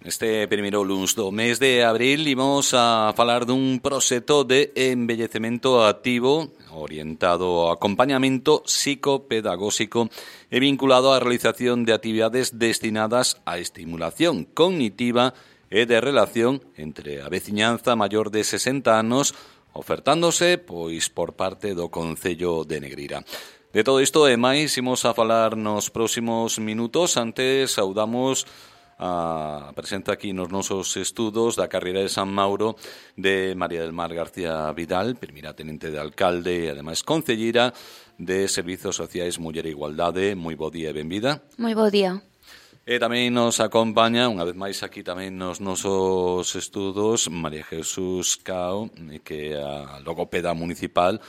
Este primeiro luns do mes de abril imos a falar dun proxecto de envellecemento activo orientado ao acompañamento psicopedagóxico e vinculado á realización de actividades destinadas á estimulación cognitiva e de relación entre a veciñanza maior de 60 anos, ofertándose pois por parte do Concello de Negreira. De todo isto e máis imos a falar nos próximos minutos. Antes saudamos a presenza aquí nos nosos estudos da carreira de San Mauro de María del Mar García Vidal, primeira tenente de alcalde e ademais concellira de Servizos Sociais, Muller e Igualdade. Moi bo día e benvida. Moi bo día. E tamén nos acompaña, unha vez máis aquí tamén nos nosos estudos, María Jesús Cao, que é a logopeda municipal.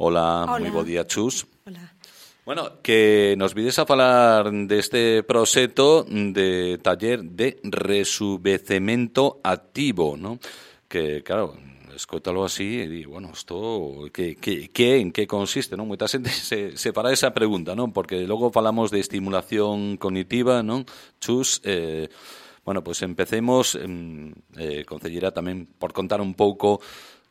Hola. Moi bo día, Chus. Hola. Bueno, que nos vides a falar deste proxecto de taller de resubecemento activo, ¿no? Que, claro, escótalo así e di, bueno, isto en que consiste, non? Moita xente se para esa pregunta, non? Porque logo falamos de estimulación cognitiva, non? Chus, bueno, pues empecemos, concellera, tamén por contar un pouco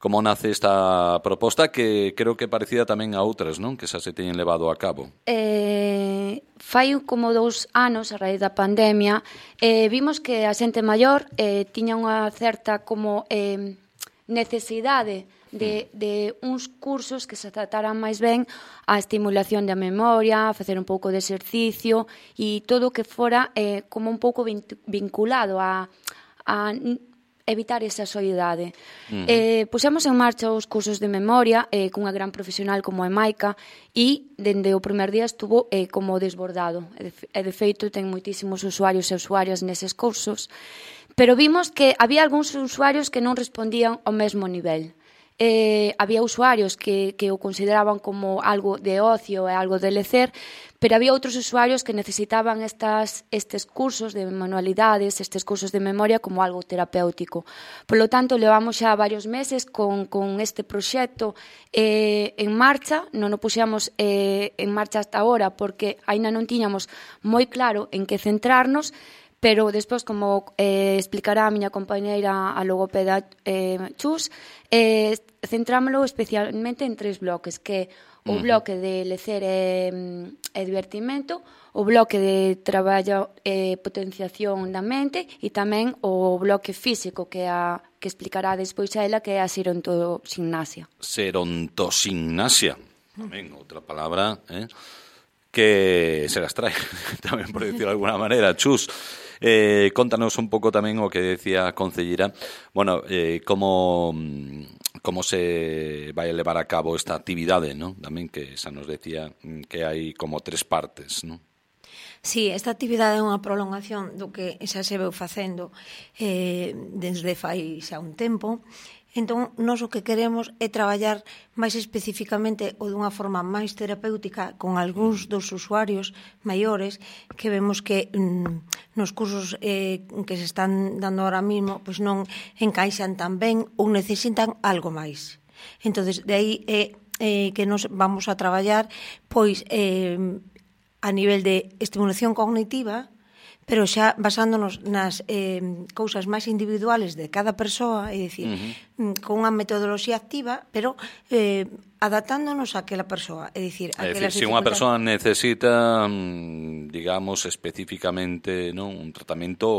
como nace esta proposta, que creo que parecida tamén a outras, non? Que xa se teñen levado a cabo. Fai como 2 anos, a raíz da pandemia, vimos que a xente maior tiña unha certa como necesidade de uns cursos que se trataran máis ben a estimulación da memoria, a facer un pouco de exercicio e todo o que fora como un pouco vinculado a evitar esa soidade. Pusemos en marcha os cursos de memoria cunha gran profesional como é Maica e dende o primer día estuvo como desbordado. E de feito ten moitísimos usuarios e usuarias neses cursos, pero vimos que había algúns usuarios que non respondían ao mesmo nivel. Había usuarios que o consideraban como algo de ocio e algo de lecer, pero había outros usuarios que necesitaban estes cursos de manualidades, estes cursos de memoria como algo terapéutico. Por lo tanto, levamos xa varios meses con este proxecto en marcha. Non o puxemos en marcha hasta agora porque aínda non tiñamos moi claro en que centrarnos, pero despois, como explicará a miña compañeira a logopeda Chus, centrámoslo especialmente en 3 bloques, que o bloque de lecer e divertimento, o bloque de traballo e potenciación da mente e tamén o bloque físico que explicará despois a ela, que é a serontogimnasia. Serontogimnasia, tamén outra palabra, que se las trae, tamén por decirlo de alguna maneira. Chus, contanos un pouco tamén o que decía a concellera, bueno, como se vai a levar a cabo esta actividade, non? Tamén que xa nos decía que hai como 3 partes, non? Sí, esta actividade é unha prolongación do que xa se veu facendo desde fai xa un tempo. Entón, nós o que queremos é traballar máis especificamente ou dunha forma máis terapéutica con algúns dos usuarios maiores que vemos que nos cursos que se están dando ahora mismo pois non encaixan tan ben ou necesitan algo máis. Entonces, de aí que nos vamos a traballar pois a nivel de estimulación cognitiva, pero xa basándonos nas cousas máis individuales de cada persoa, é dicir, con unha metodoloxía activa, pero adaptándonos a aquela persoa. É dicir, se unha persoa necesita, digamos, especificamente, non, un tratamento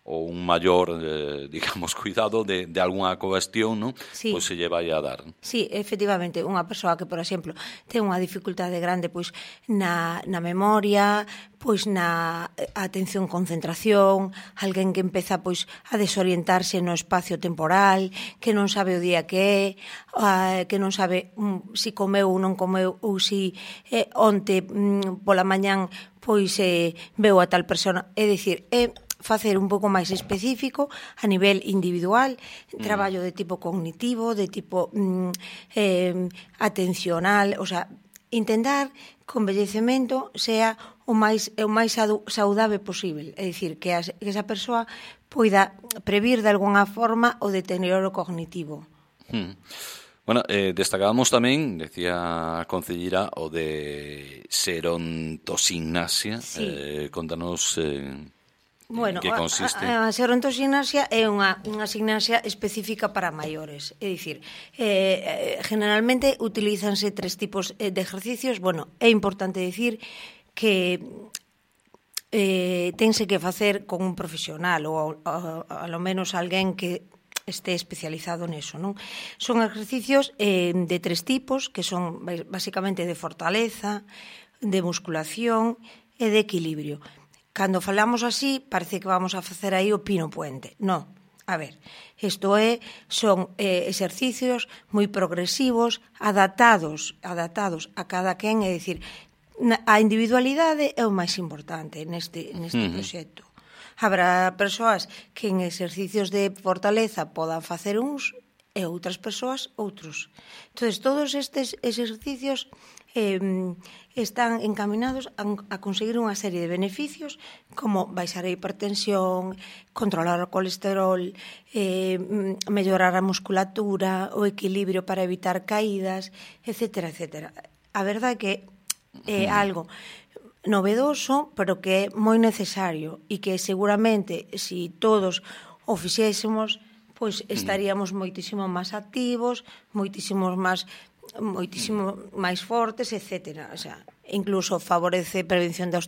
ou un maior, digamos, cuidado de algunha cuestión, non? Sí. Pois se lle vai a dar. Sí, efectivamente, unha persoa que, por exemplo, ten unha dificultade grande pois na memoria, pois na atención, concentración, alguén que empeza pois a desorientarse no espacio temporal, que non sabe o día que é, que non sabe si comeu ou non comeu, ou si onte pola mañán pois veu a tal persona. É dicir, facer un pouco máis específico a nivel individual, traballo de tipo cognitivo, de tipo atencional, o sea, intentar que o envellecemento sea o máis saudável posible, é dicir, que esa persoa poida previr de algunha forma o deterioro cognitivo. Bueno, destacábamos tamén, decía a concellera, o de serontogimnasia. Sí. Contanos Bueno, que consiste? A xerontoxinasia é unha gimnasia específica para maiores. É dicir, generalmente utilízanse 3 tipos de ejercicios. Bueno, é importante dicir que tense que facer con un profesional ou a lo menos alguén que este especializado neso, non? Son exercicios de 3 tipos, que son basicamente de fortaleza, de musculación e de equilibrio. Cando falamos así, parece que vamos a facer aí o pino puente. Non. A ver, isto son exercicios moi progresivos, adaptados a cada quen, é dicir, a individualidade é o máis importante neste proxecto. Habrá persoas que en exercicios de fortaleza podan facer uns e outras persoas outros. Entón, todos estes exercicios están encaminados a conseguir unha serie de beneficios como baixar a hipertensión, controlar o colesterol, mellorar a musculatura, o equilibrio para evitar caídas, etcétera, etcétera. A verdade é que é algo novedoso, pero que é moi necesario e que seguramente, se todos o fixésemos, pois estaríamos moitísimo máis activos, moitísimo máis fortes, etcétera. O sea, incluso favorece prevención de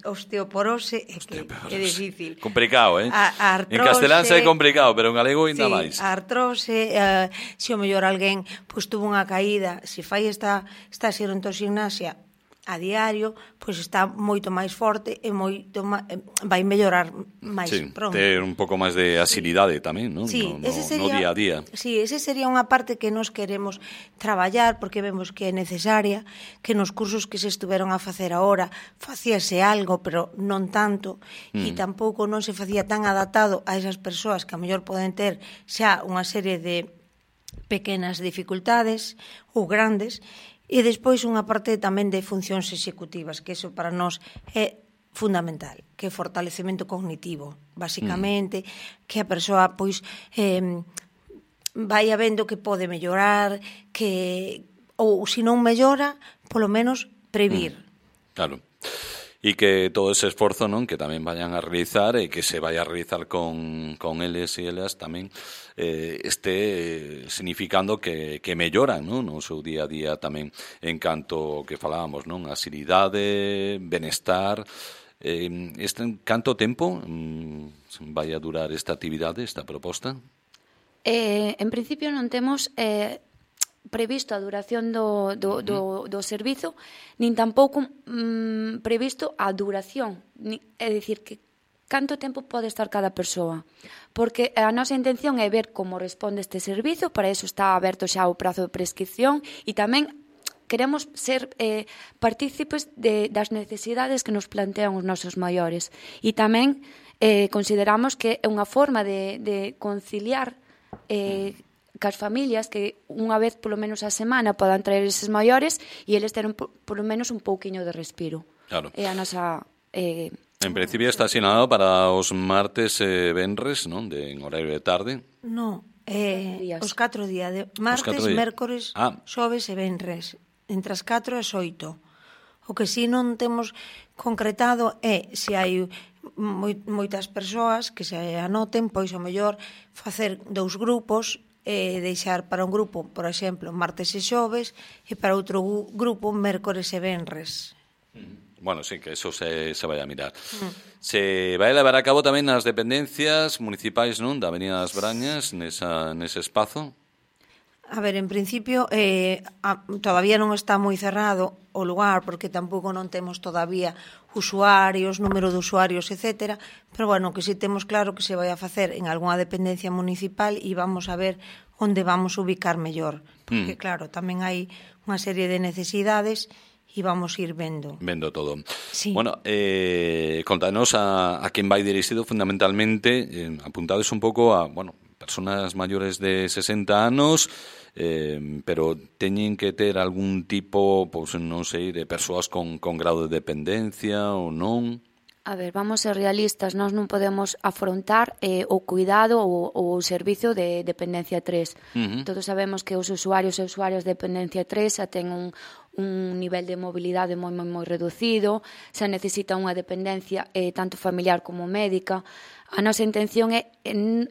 osteoporose, que é difícil. Complicado, Artrose, en castelán é complicado, pero en galego ainda máis. A artrose, se o mellor alguén pois tuvo unha caída, se fai esta xerontoxinasia a diario, pois está moito máis forte e vai mellorar máis pronto. Ter un pouco máis de asilidade tamén, non? Sí, no día a día. Sí, ese sería unha parte que nos queremos traballar, porque vemos que é necesaria, que nos cursos que se estuveron a facer agora facíase algo, pero non tanto, e tampouco non se facía tan adaptado a esas persoas que a mellor poden ter xa unha serie de pequenas dificultades ou grandes. E despois unha parte tamén de funcións executivas, que iso para nós é fundamental, que é fortalecemento cognitivo, basicamente, que a persoa pois vai vendo que pode mellorar, que ou se non mellora, polo menos previr. Claro. E que todo ese esforzo, non, que tamén vayan a realizar e que se vai a realizar con eles e elas tamén este significando que melloran, non, no seu día a día tamén en canto que falábamos, non, asilidade, benestar. Canto tempo vai a durar esta actividade, esta proposta? En principio non temos previsto a duración do servizo, nin tampouco previsto a duración, é dicir, que canto tempo pode estar cada persoa, porque a nosa intención é ver como responde este servizo, para iso está aberto xa o prazo de prescripción, e tamén queremos ser partícipes das necesidades que nos plantean os nosos maiores, e tamén consideramos que é unha forma de conciliar cas familias que unha vez polo menos a semana podan traer eses maiores e eles ter polo menos un pouquiño de respiro. Claro. É a nosa... En principio está asignado para os martes e venres, non? En horario de tarde. Non, os 4 días, de martes, mércores, xoves e venres, entre as 4 e as 8. O que si non temos concretado é se hai moitas persoas que se anoten, pois o mellor facer 2 grupos, deixar para un grupo, por exemplo, martes e xoves, e para outro grupo, mércores e venres. Bueno, sí, que eso se vai a mirar. Se vai levar a cabo tamén nas dependencias municipais, non, da Avenida das Brañas, nese espazo? A ver, en principio, todavía non está moi cerrado o lugar, porque tampouco non temos todavía usuarios, número de usuarios, etcétera, pero bueno, que si temos claro que se vai a facer en algunha dependencia municipal e vamos a ver onde vamos ubicar mellor, porque claro, tamén hai unha serie de necesidades e vamos ir vendo. Vendo todo. Sí. Bueno, contanos a quen vai dirixido fundamentalmente, apuntades un pouco a, bueno, personas maiores de 60 anos, pero teñen que ter algún tipo, pois non sei, de persoas con grado de dependencia ou non? A ver, vamos ser realistas, nós non podemos afrontar o cuidado ou o servizo de dependencia 3. Todos sabemos que os usuarios e usuarias de dependencia 3 xa ten un nivel de mobilidade moi reducido, se necesita unha dependencia tanto familiar como médica. A nosa intención é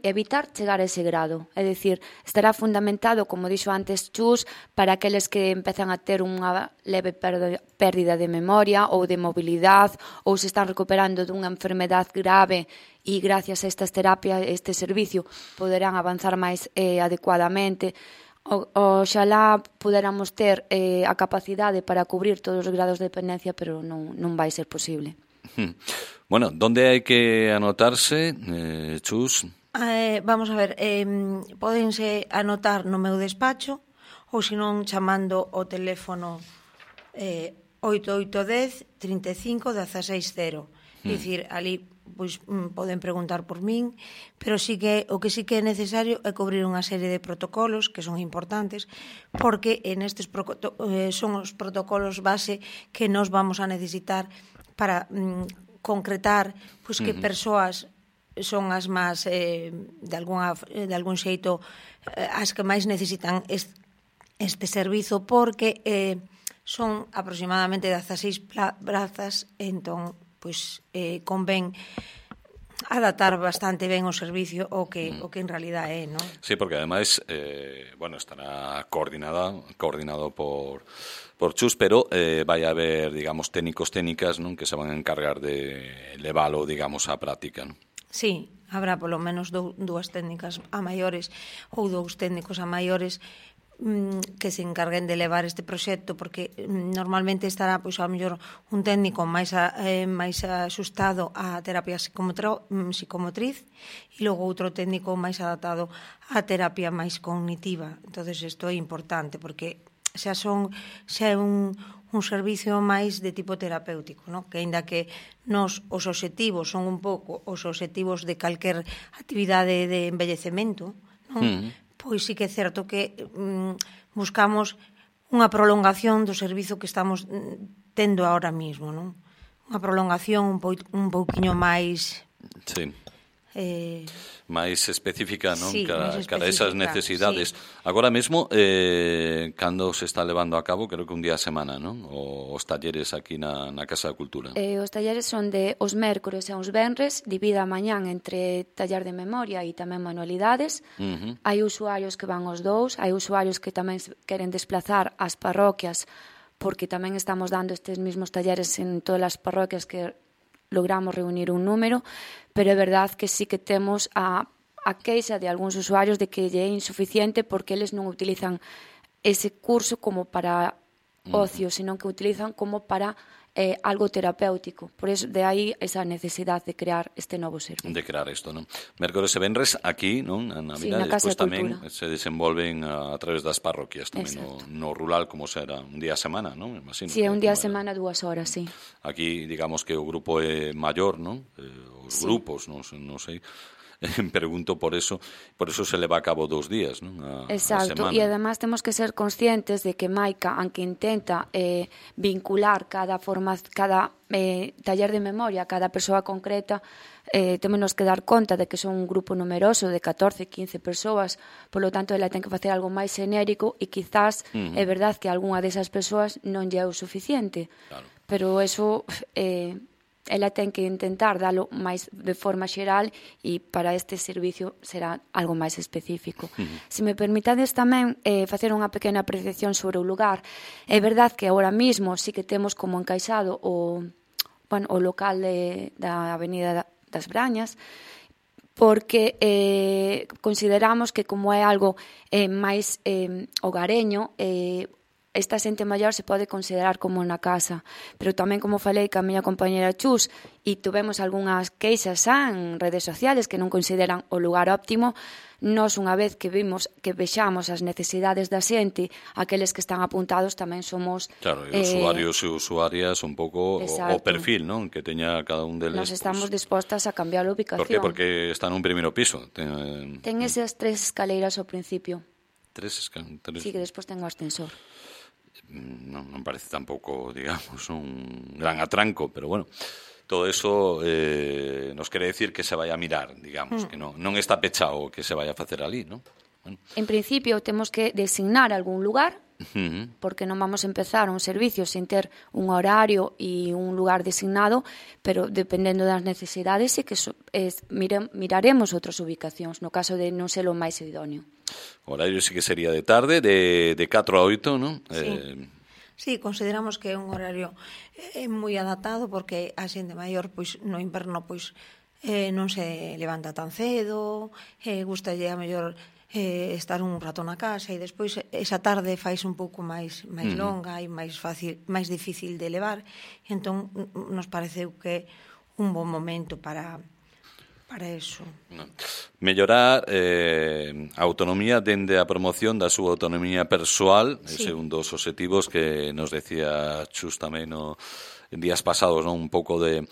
evitar chegar a ese grado. É dicir, estará fundamentado, como dixo antes Chus, para aqueles que empezan a ter unha leve pérdida de memoria ou de mobilidade ou se están recuperando dunha enfermedade grave e gracias a estas terapias, este servicio, poderán avanzar máis adecuadamente. Oxalá puderamos ter a capacidade para cubrir todos os grados de dependencia, pero non vai ser posible. Bueno, ¿dónde hai que anotarse, Chus? Vamos a ver, pódense anotar no meu despacho ou senón chamando o teléfono 8810 35 160. Dicir, ali pois poden preguntar por min, pero sí que o que sí que é necesario é cubrir unha serie de protocolos que son importantes, porque nestes son os protocolos base que nos vamos a necesitar para concretar pois que persoas son as máis de algún xeito as que máis necesitan este servizo, porque son aproximadamente 16 plazas, entón pois convén adaptar bastante ben o servicio o que en realidad é, non? Sí, porque ademais estará coordinado por Chus, pero vai haber, digamos, técnicas, non, que se van a encargar de leválo, digamos, á práctica, non? Sí, habrá polo menos dúas técnicas a maiores ou dous técnicos a maiores que se encarguen de levar este proxecto, porque normalmente estará pois ao mellor un técnico máis axustado á terapia psicomotriz e logo outro técnico máis adaptado á terapia máis cognitiva. Entonces isto é importante porque xa é un servicio máis de tipo terapéutico, non? Que aínda que os obxectivos son un pouco os obxectivos de calquer actividade de envellecemento, non? Pois sí que é certo que buscamos unha prolongación do servizo que estamos tendo ahora mismo, non? Unha prolongación un pouquiño máis... Sí. Máis específica, non? Sí, cara a esas necesidades. Sí. Agora mesmo, cando se está levando a cabo, creo que un día a semana, non? Os talleres aquí na Casa da Cultura. Os talleres son de os mércores e os venres, divida a mañán entre taller de memoria e tamén manualidades. Hai usuarios que van os dous, hai usuarios que tamén queren desplazar ás parroquias, porque tamén estamos dando estes mesmos talleres en todas as parroquias que logramos reunir un número, pero é verdad que sí que temos a queixa de algúns usuarios de que lle é insuficiente porque eles non utilizan ese curso como para ocio, senón que utilizan como para algo terapéutico. Por eso, de aí esa necesidade de crear este novo servicio. De crear isto, non? Mércores e venres aquí, non? Na vila, despois tamén se desenvolven a través das parroquias, tamén no rural, como será un día a semana, non? Imagino. Sí, un día a semana, 2 horas, sí. Aquí, digamos que o grupo é maior, non? Os grupos, non sei. Pregunto por eso se leva a cabo 2 días, non? Exacto, e además temos que ser conscientes de que Maica, aunque intenta vincular cada taller de memoria, cada persoa concreta, temos que dar conta de que son un grupo numeroso de 14, 15 persoas, polo tanto, ela ten que facer algo máis xenérico e quizás é verdad que algunha desas persoas non lle é o suficiente, claro. Pero eso... ela ten que intentar dalo máis de forma xeral e para este servicio será algo máis específico. Se me permitades tamén facer unha pequena apreciación sobre o lugar, é verdad que agora mismo sí que temos como encaixado o local da Avenida das Brañas, porque consideramos que como é algo máis hogareño, esta xente maior se pode considerar como na casa, pero tamén como falei ca miña compañera Chus e tuvemos algunhas queixas en redes sociales que non consideran o lugar óptimo, nós unha vez que vexamos as necesidades da xente, aqueles que están apuntados tamén somos... Claro, e usuarios e usuarias un pouco o perfil, non? Que teña cada un deles. Nos estamos dispostas a cambiar a ubicación. Por que? Porque está nun primeiro piso. Ten esas 3 escaleiras ao principio. 3 escaleiras? Sí, que despois ten o ascensor. Non parece tampouco, digamos, un gran atranco, pero bueno, todo eso nos quere decir que se vai a mirar, digamos, que non está pechado que se vai a facer ali, non? Bueno. En principio temos que designar algún lugar porque non vamos a empezar un servicio sin ter un horario e un lugar designado, pero dependendo das necesidades sí que miraremos outras ubicacións, no caso de non ser o máis idóneo. O horario sí que sería de tarde, de 4 a 8, non? Sí. Sí, consideramos que é un horario moi adaptado porque a xente maior pois no inverno pois non se levanta tan cedo, gustalle a mellor estar un rato na casa e despois esa tarde faise un pouco máis longa e máis fácil, máis difícil de levar. Entón nos pareceu que un bon momento para eso. Mellorar a autonomía dende a promoción da súa autonomía persoal, ese é un dos obxectivos que nos decía Chus tamén en días pasados, non? Un pouco de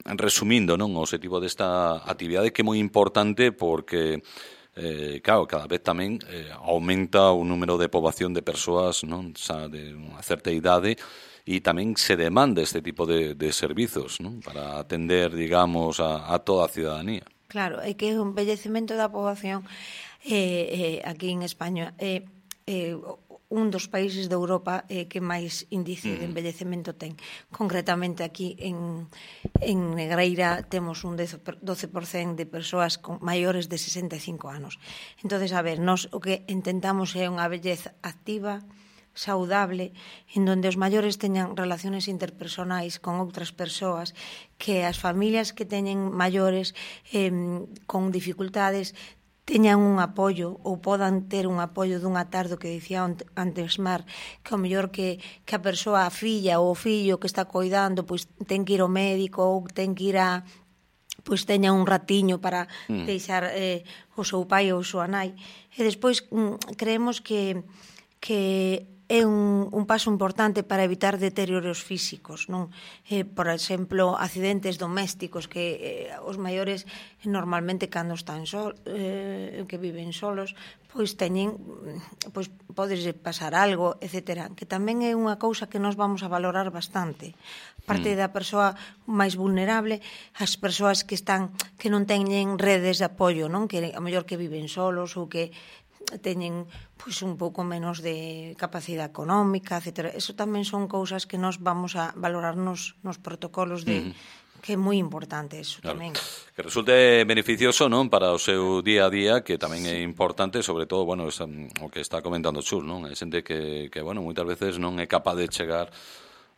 resumindo, non, o obxectivo desta actividade que é moi importante porque claro, cada vez tamén aumenta o número de poboación de persoas, non, xa de unha certa idade, e tamén se demanda este tipo de servizos, non? Para atender, digamos, a toda a ciudadanía. Claro, é que o envellecemento da poboación aquí en España é un dos países de Europa que máis índice de envellecemento ten. Concretamente aquí en Negreira temos un 12% de persoas maiores de 65 anos. Entonces, a ver, nós o que intentamos é unha vellez activa, saudable, en donde os maiores teñan relaciones interpersonais con outras persoas, que as familias que teñen maiores con dificultades teñan un apoio ou podan ter un apoio dunha tarde que dicía antes Mar, que ao mellor que a persoa, a filla ou o fillo que está coidando pois ten que ir ao médico ou ten que ir pois teña un ratiño para deixar o seu pai ou a súa nai. E despois creemos que é un paso importante para evitar deterioros físicos, non? Por exemplo, accidentes domésticos que os maiores normalmente cando están que viven solos, pois teñen, pois podes pasar algo, etcétera, que tamén é unha cousa que nós vamos a valorar bastante. Parte da persoa máis vulnerable, as persoas que non teñen redes de apoio, non? Que a mellor que viven solos ou que teñen pois un pouco menos de capacidade económica, etcétera. Eso tamén son cousas que nós vamos a valorar nos protocolos que é moi importante eso tamén. Que resulte beneficioso, non, para o seu día a día, que tamén é importante, sobre todo, bueno, o que está comentando Chus, non? É xente que bueno, moitas veces non é capaz de chegar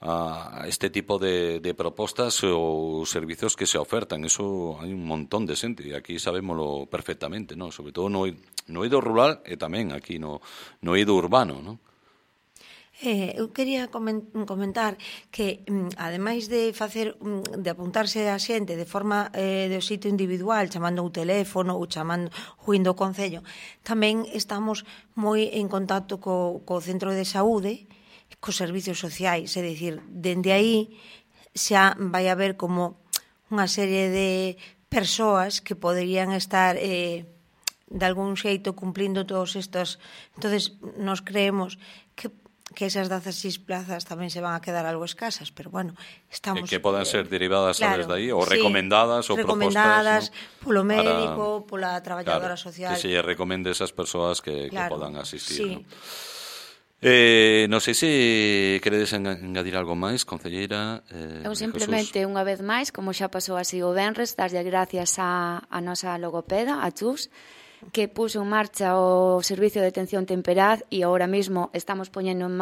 a este tipo de propostas ou servizos que se ofertan. Eso hai un montón de xente e aquí sabémolo perfectamente, ¿no? Sobre todo no eido rural e tamén aquí no eido urbano, ¿no? Eu quería comentar que, ademais de apuntarse a xente de forma de sitio individual, chamando o teléfono ou chamando o indo ao concello, tamén estamos moi en contacto co centro de saúde, cos servicios sociais, é dicir, dende aí xa vai haber como unha serie de persoas que poderían estar de algún xeito cumplindo todos estos. Entonces, nos creemos que esas 16 plazas tamén se van a quedar algo escasas, pero bueno, estamos... Que podan ser derivadas desde aí, ou recomendadas, ou propostas, polo médico, pola traballadora social. Que se lle recomende esas persoas que podan asistir, sí. ¿no? Non sei se queredes engadir algo máis, concelleira. Eu simplemente, unha vez máis, como xa pasou así o venres, darlle gracias a nosa logopeda, a Chus, que puso en marcha o Servicio de Atención Temperá e agora mesmo estamos poñendo en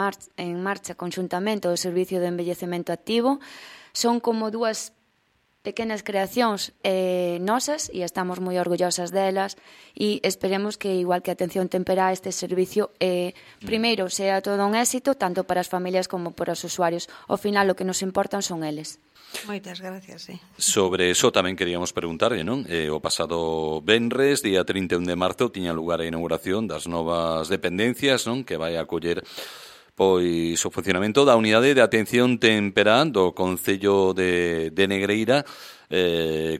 marcha conxuntamente o Servicio de Envellecemento Activo. Son como dúas pequenas creacións nosas e estamos moi orgullosas delas e esperemos que, igual que Atención Temperá, este servicio primeiro sea todo un éxito tanto para as familias como para os usuarios. Ao final o que nos importan son eles. Moitas gracias, sí. Sobre eso tamén queríamos preguntarlle, non? O pasado venres, día 31 de marzo, tiña lugar a inauguración das novas dependencias, non? Que vai acoller pois o funcionamento da unidade de atención temperá do Concello de Negreira.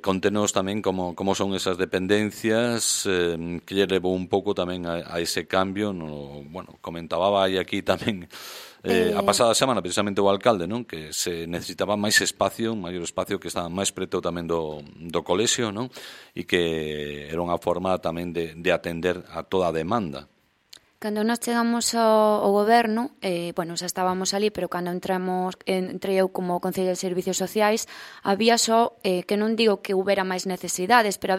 Contenos tamén como son esas dependencias, que lle levou un pouco tamén a ese cambio. Bueno, comentaba aquí tamén a pasada semana precisamente o alcalde, non? Que se necesitaba máis espacio, un maior espacio, que estaba máis preto tamén do colexio, non? E que era unha forma tamén de atender a toda a demanda. Cando nós chegamos ao goberno, bueno, xa estábamos ali, pero cando entrei eu como Concello de Servicios Sociais, había só, que non digo que houbera máis necesidades, pero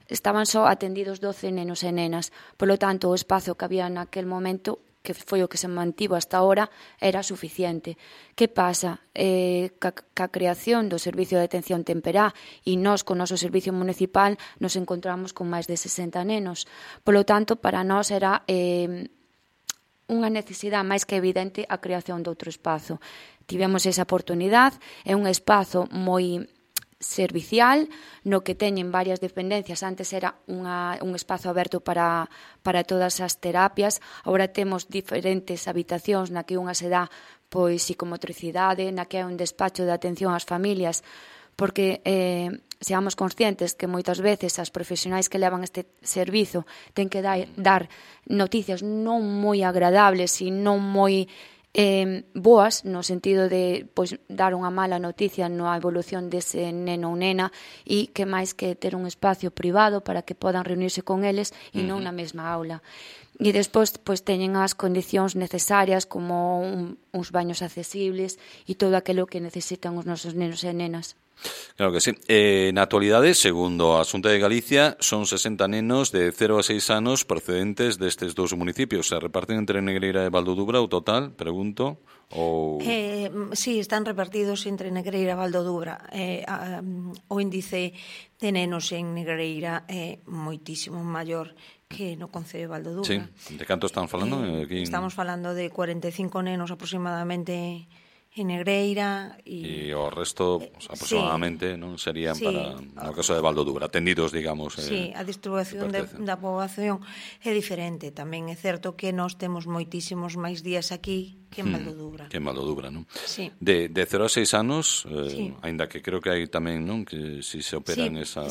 estaban só atendidos 12 nenos e nenas. Por lo tanto, o espazo que había naquel momento, que foi o que se mantivo hasta ahora, era suficiente. Que pasa? Ca creación do Servicio de Atención Temperá e nós, con o noso servicio municipal, nos encontramos con máis de 60 nenos. Por lo tanto, para nós era unha necesidade máis que evidente a creación de outro espazo. Tivemos esa oportunidade, é un espazo moi servicial, no que teñen varias dependencias. Antes era un espazo aberto para todas as terapias, agora temos diferentes habitacións na que unha se dá pois psicomotricidade, na que é un despacho de atención ás familias, porque seamos conscientes que moitas veces as profesionais que levan este servizo ten que dar noticias non moi agradables e non moi boas, no sentido de pois, dar unha mala noticia na evolución dese neno ou nena, e que máis que ter un espacio privado para que podan reunirse con eles e non na mesma aula. E despois pois, teñen as condicións necesarias como uns baños accesibles e todo aquilo que necesitan os nosos nenos e nenas. Claro que sí. Na actualidade, segundo a Xunta de Galicia, son 60 nenos de 0 a 6 anos procedentes destes dous municipios. Se reparten entre Negreira e Valdodubra o total, pregunto? Ou... Sí, están repartidos entre Negreira e Valdodubra. O índice de nenos en Negreira é moitísimo maior que no concello de Valdodubra. Sí, de canto están falando? Estamos falando de 45 nenos aproximadamente en Negreira e o resto pues, aproximadamente non serían para no caso de Valdodubra, atendidos, digamos. Sí, a distribución da poboación é diferente. Tamén é certo que nós temos moitísimos máis días aquí que en Valdodubra. Que en Valdodubra, non? Sí. De 0 a 6 anos, aínda que creo que hai tamén, non, que si se opera en esa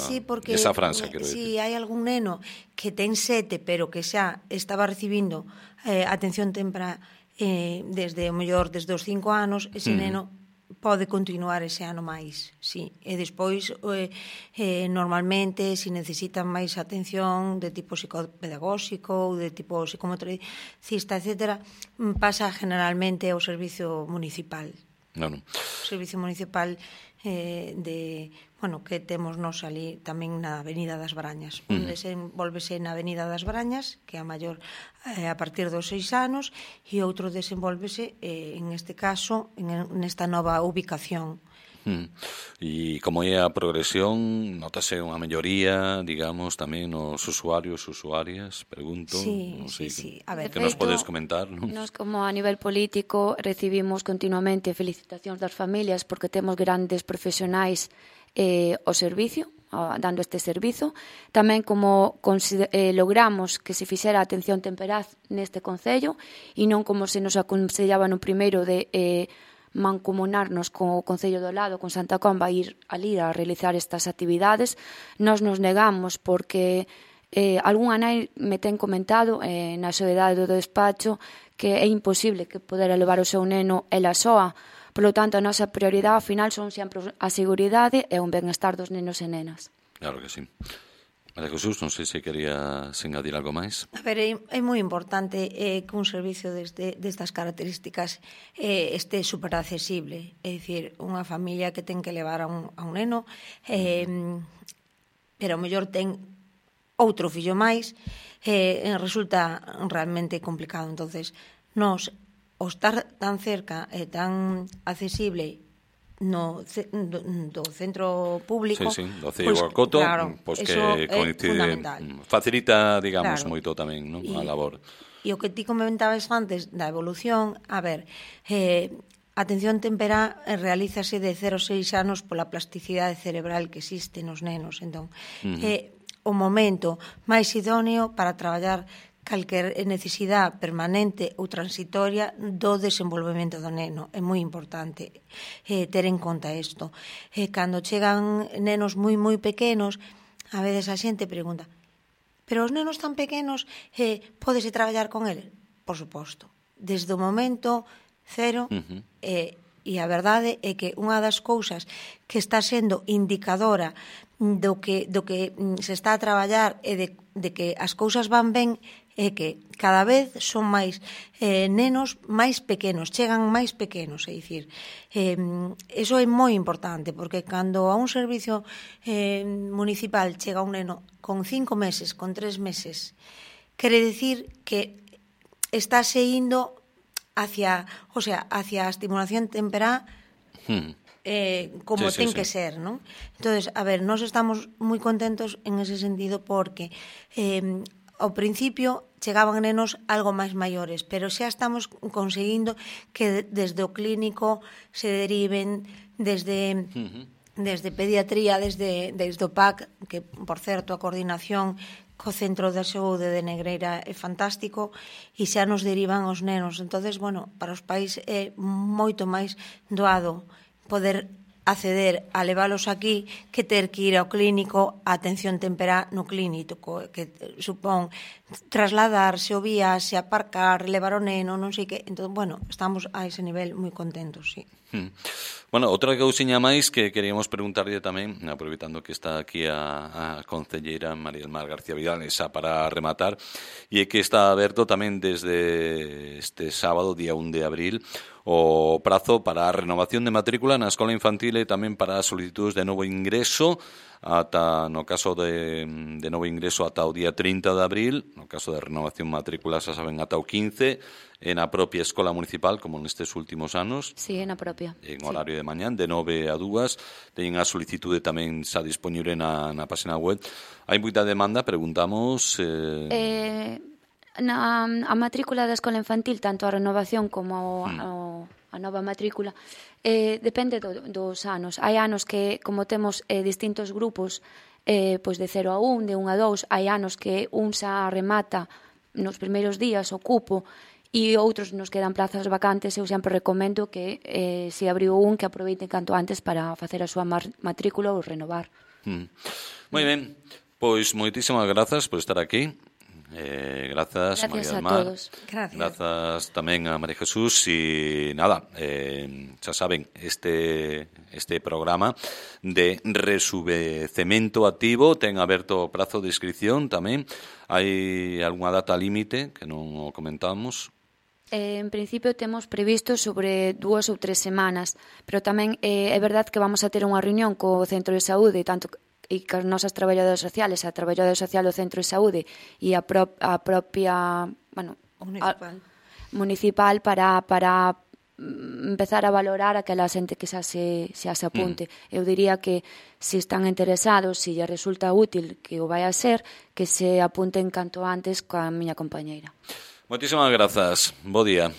franja, quero dicir. Si hai algún neno que ten 7, pero que xa estaba recibindo atención temprana desde o mellor desde os 5 anos, ese neno pode continuar ese ano máis, sí. E despois, normalmente, se necesitan máis atención de tipo psicopedagóxico ou de tipo psicomotricista, etc., pasa generalmente ao servicio municipal. Claro. O servicio municipal que temos nos ali tamén na Avenida das Brañas. Un desenvolvese na Avenida das Brañas, que é a maior a partir dos 6 anos, e outro desenvolvese, en este caso, nesta nova ubicación. E como é a progresión, notase unha melloría, digamos, tamén nos usuarios, usuarias, pregunto. Sí. A ver, que nos podes comentar, non? Nos, como a nivel político, recibimos continuamente felicitacións das familias porque temos grandes profesionais ao servicio, dando este servizo. Tamén como logramos que se fixera atención temperaz neste concello e non como se nos aconsellaba no primeiro de mancomunarnos co Concello do lado, con Santa Comba, ir ali a realizar estas actividades. Nos negamos porque algunha nai me ten comentado na soedade do despacho que é imposible que poder levar o seu neno ela soa. Por lo tanto, a nosa prioridade ao final son sempre a seguridade e o benestar dos nenos e nenas. Claro que sí. María Jesús, non sei se quería engadir algo máis. A ver, é moi importante que un servicio destas características este super accesible. É dicir, unha familia que ten que levar a un neno, pero ao mellor ten outro fillo máis, resulta realmente complicado. Entonces, nós, o estar tan cerca e tan accesible do centro público, do Cello Guacoto, pois que coincide, facilita, digamos, moito tamén, non, a labor. E o que ti comentabas antes da evolución, a ver, atención temperá realízase de 0 a 6 anos pola plasticidade cerebral que existe nos nenos, entón, o momento máis idóneo para traballar calquer necesidade permanente ou transitoria do desenvolvemento do neno. É moi importante ter en conta isto. Cando chegan nenos moi pequenos, a veces a xente pregunta: pero os nenos tan pequenos pódese traballar con eles? Por suposto. Desde o momento cero, e a verdade é que unha das cousas que está sendo indicadora do que se está a traballar e de que as cousas van ben é que cada vez son máis nenos máis pequenos, chegan máis pequenos, é dicir, eso é moi importante, porque cando a un servicio municipal chega un neno con 5 meses, con 3 meses, quere dicir que estáse indo hacia a estimulación temperá como ten que ser, non? Entonces, a ver, nós estamos moi contentos en ese sentido porque ao principio chegaban nenos algo máis maiores, pero xa estamos conseguindo que desde o clínico se deriven desde pediatría, desde o PAC, que, por certo, a coordinación co Centro de Saúde de Negreira é fantástico, e xa nos derivan os nenos. Entonces, bueno, para os pais é moito máis doado poder acceder a leválos aquí que ter que ir ao clínico a atención temperá no clínico, que supón trasladarse o viaxe, aparcar, levar o neno, non sei que. Entón, bueno, estamos a ese nivel moi contentos, sí. Bueno, outra cousiña máis que queríamos preguntarlle tamén, aproveitando que está aquí a concelleira María del Mar García Vidal, esa para rematar, e é que está aberto tamén desde este sábado, día 1 de abril, o prazo para a renovación de matrícula na escola infantil e tamén para as solicitudes de novo ingreso, ata no caso de novo ingreso ata o día 30 de abril, no caso de renovación matrícula xa saben ata o 15, en a propia escola municipal, como nestes últimos anos. Sí, en a propia. En horario de mañán, de 9 a 2. Teñen a solicitude tamén xa disponible na página web. Hai moita demanda, preguntamos... A matrícula da escola infantil, tanto a renovación como a nova matrícula, depende dos anos. Hai anos que, como temos distintos grupos, pois de 0 a 1, de 1 a 2, hai anos que un xa remata nos primeiros días o cupo e outros nos quedan plazas vacantes. Eu sempre recomendo que se abriu un, que aproveiten canto antes para facer a súa matrícula ou renovar. Moi ben, pois moitísimas grazas por estar aquí. Grazas María del Mar. Todos. Grazas tamén a María Jesús. E nada, xa saben, este programa de resubvecemento activo ten aberto o prazo de inscripción tamén. Hai algunha data límite que non o comentamos? En principio temos previsto sobre 2 ou 3 semanas, pero tamén é verdade que vamos a ter unha reunión co Centro de Saúde, tanto e que as nosas traballadoras sociales, a traballadora social do Centro de Saúde e a propia, bueno, municipal para empezar a valorar aquela xente que xa se apunte. Eu diría que se están interesados, se lle resulta útil que o vai a ser, que se apunten canto antes coa miña compañeira. Moitísimas grazas. Bo día.